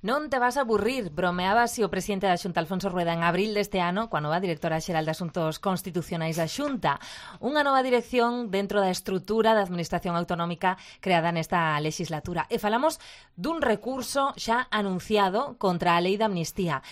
Non te vas a aburrir, bromeaba así o presidente da Xunta, Alfonso Rueda, en abril deste ano, coa nova directora xeral de Asuntos Constitucionais da Xunta. Unha nova dirección dentro da estrutura da Administración Autonómica creada nesta legislatura. E falamos dun recurso xa anunciado contra a Lei de Amnistía.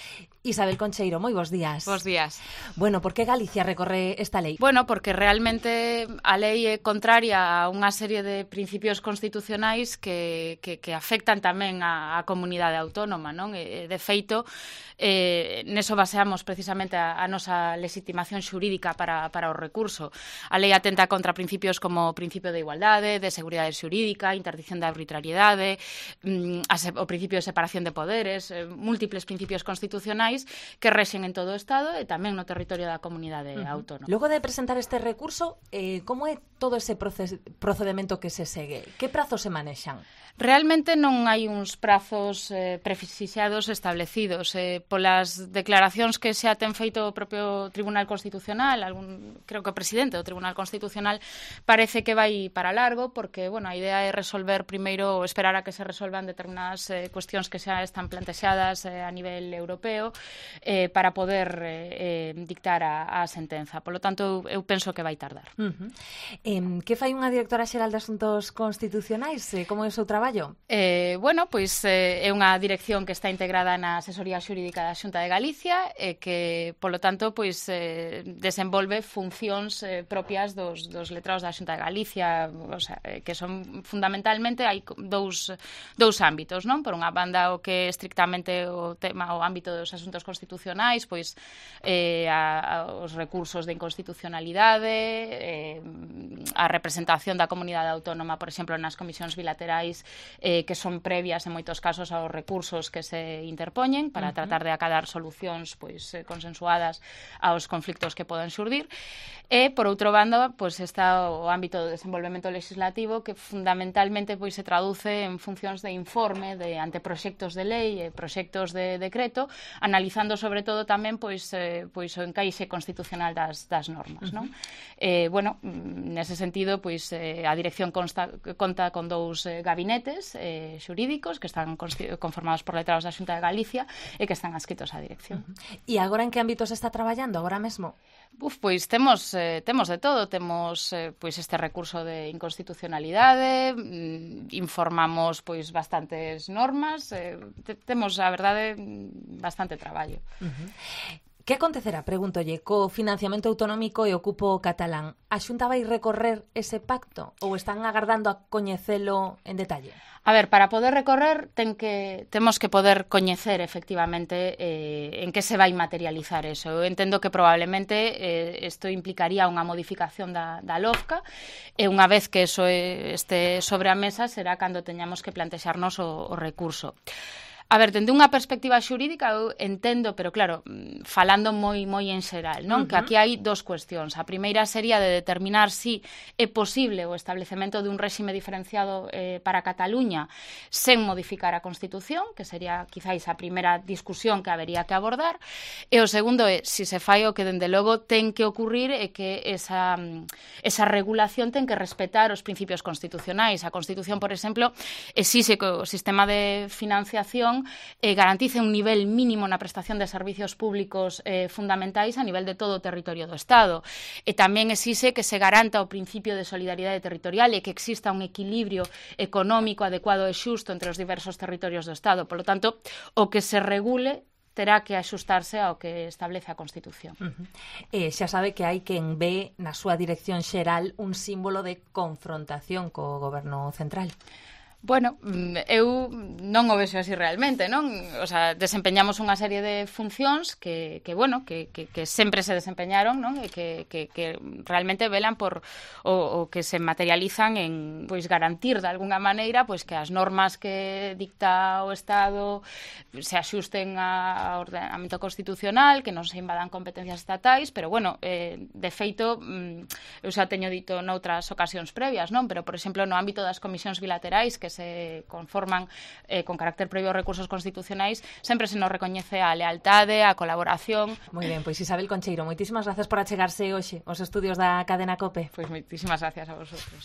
Isabel Concheiro, moi bons días. Bos días. Bueno, por que Galicia recorre esta lei? Bueno, porque realmente a lei é contraria a unha serie de principios constitucionais que afectan tamén a comunidade autónoma, non? De feito, neso baseamos precisamente a nosa legitimación xurídica para o recurso. A lei atenta contra principios como o principio de igualdade, de seguridade xurídica, interdicción da arbitrariedade, o principio de separación de poderes, múltiples principios constitucionais que rexen en todo o Estado e tamén no territorio da comunidade autónoma. Logo de presentar este recurso, como é todo ese procedimento que se segue? Que prazos se manexan? Realmente non hai uns prazos prefixados establecidos. Polas declaracións que xa ten feito o propio Tribunal Constitucional, creo que o presidente do Tribunal Constitucional parece que vai para largo, porque a idea é resolver primeiro, esperar a que se resolvan determinadas cuestións que xa están plantexadas a nivel europeo para poder dictar a sentenza. Por lo tanto, eu penso que vai tardar. Que fai unha directora xeral de Asuntos Constitucionais? Como é o seu traballo? É unha dirección que está integrada na Asesoría Xurídica da Xunta de Galicia e que, polo tanto, desenvolve funcións propias dos letrados da Xunta de Galicia, que son fundamentalmente hai dous ámbitos, non? Por unha banda, o que é estrictamente o ámbito dos asuntos constitucionais, os recursos de inconstitucionalidade, a representación da comunidade autónoma, por exemplo, nas comisións bilaterais que son previas en moitos casos aos recursos que se interpoñen para tratar de acadar solucións consensuadas aos conflictos que poden xurdir. E, por outro bando, está o ámbito do desenvolvemento legislativo que fundamentalmente se traduce en funcións de informe de anteproxectos de lei e proxectos de decreto, analizando sobre todo tamén o encaixe constitucional das normas, non? Nese sentido, a dirección conta con dous gabinetes xurídicos que están conformados por letrados da Xunta de Galicia e que están adscritos á dirección. E agora en que ámbito se está traballando agora mesmo? Temos de todo. Temos este recurso de inconstitucionalidade, informamos bastantes normas, temos, a verdade, bastante traballo. Que acontecerá, pregúntolle, co financiamento autonómico e o cupo catalán? A Xunta vai recorrer ese pacto ou están agardando a coñecelo en detalle? A ver, para poder recorrer temos que poder coñecer efectivamente en que se vai materializar eso. Eu entendo que probablemente isto implicaría unha modificación da LOFCA e unha vez que eso este sobre a mesa será cando teñamos que plantexarnos o recurso. A ver, dende unha perspectiva xurídica eu entendo, pero claro, falando moi en xeral, non? Que aquí hai dos cuestións. A primeira sería de determinar si é posible o establecemento dun réxime diferenciado para Cataluña sen modificar a Constitución, que sería quizáis a primeira discusión que habería que abordar, e o segundo é si se fai o que dende logo ten que ocurrir e que esa regulación ten que respetar os principios constitucionais. A Constitución, por exemplo, exixe que o sistema de financiación garantice un nivel mínimo na prestación de servicios públicos fundamentais a nivel de todo o territorio do Estado. E tamén exixe que se garanta o principio de solidariedade territorial e que exista un equilibrio económico adecuado e xusto entre os diversos territorios do Estado. Por lo tanto, o que se regule terá que axustarse ao que establece a Constitución. Xa sabe que hai quen ve na súa dirección xeral un símbolo de confrontación co goberno central. Bueno, eu non o vexo así realmente, non? O sea, desempeñamos unha serie de funcións que sempre se desempeñaron, non? E que realmente velan por o que se materializan en garantir de alguna maneira que as normas que dicta o Estado se axusten ao ordenamento constitucional, que non se invadan competencias estatais, pero de feito eu xa teño dito noutras ocasións previas, non? Pero, por exemplo, no ámbito das comisións bilaterais que se conforman con carácter previo aos recursos constitucionais, sempre se nos recoñece a lealtade, a colaboración. Moi ben, pois Isabel Concheiro, moitísimas gracias por achegarse hoxe aos estudios da cadena COPE. Pois moitísimas gracias a vosotros.